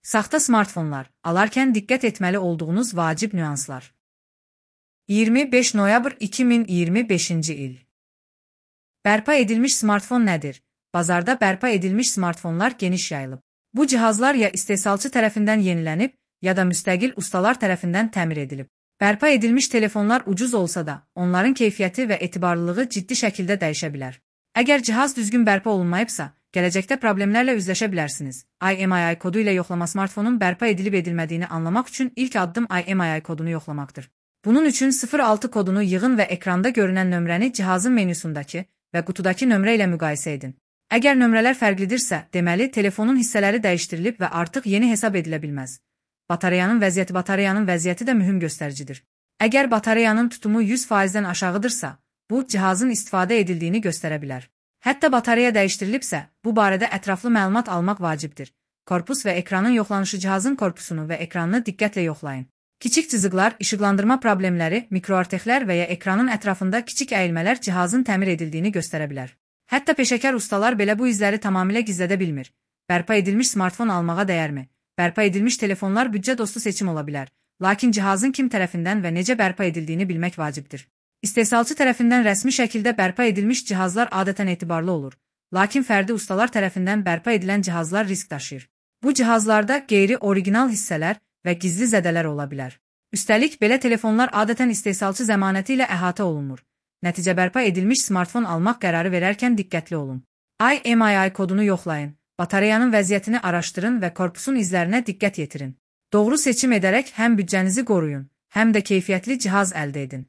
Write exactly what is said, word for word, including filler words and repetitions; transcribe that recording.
Saxta smartfonlar alarkən diqqət etməli olduğunuz vacib nüanslar. iyirmi beş noyabr iki min iyirmi beşinci il. Bərpa edilmiş smartfon nədir? Bazarda bərpa edilmiş smartfonlar geniş yayılıb. Bu cihazlar ya istehsalçı tərəfindən yenilənib, ya da müstəqil ustalar tərəfindən təmir edilib. Bərpa edilmiş telefonlar ucuz olsa da, onların keyfiyyəti və etibarlılığı ciddi şəkildə dəyişə bilər. Əgər cihaz düzgün bərpa olunmayıbsa, gələcəkdə problemlərlə üzləşə bilərsiniz. I M E I kodu ilə yoxlama smartfonun bərpa edilib edilmədiyini anlamaq üçün ilk addım I M E I kodunu yoxlamaqdır. Bunun üçün sıfır altı kodunu yığın və ekranda görünən nömrəni cihazın menüsündəki və qutudakı nömrə ilə müqayisə edin. Əgər nömrələr fərqlidirsə, deməli telefonun hissələri dəyişdirilib və artıq yeni hesab edilə bilməz. Batareyanın vəziyyəti Batareyanın vəziyyəti də mühüm göstəricidir. Əgər batareyanın tutumu yüz faizdən aşağıdırsa, bu cihazın istifadə edildiyini göstərə bilər. Hətta batareya dəyişdirilibsə, bu barədə ətraflı məlumat almaq vacibdir. Korpus və ekranın yoxlanışı cihazın korpusunu və ekranını diqqətlə yoxlayın. Kiçik cızıqlar, işıqlandırma problemləri, mikroartexlər və ya ekranın ətrafında kiçik əyilmələr cihazın təmir edildiyini göstərə bilər. Hətta peşəkar ustalar belə bu izləri tamamilə gizlədə bilmir. Bərpa edilmiş smartfon almağa dəyərmi? Bərpa edilmiş telefonlar büdcə dostu seçim ola bilər. Lakin cihazın kim tərəfindən və necə bərpa edildiyini bilmək vacibdir. İstehsalçı tərəfindən rəsmi şəkildə bərpa edilmiş cihazlar adətən etibarlı olur. Lakin fərdi ustalar tərəfindən bərpa edilən cihazlar risk daşıyır. Bu cihazlarda qeyri-original hissələr və gizli zədələr ola bilər. Üstəlik, belə telefonlar adətən istehsalçı zəmanəti ilə əhatə olunmur. Nəticə bərpa edilmiş smartfon almaq qərarı verərkən diqqətli olun. I M E I kodunu yoxlayın, batareyanın vəziyyətini araşdırın və korpusun izlərinə diqqət yetirin. Doğru seçim edərək həm büdcənizi qoruyun, həm də keyfiyyətli cihaz əldə edin.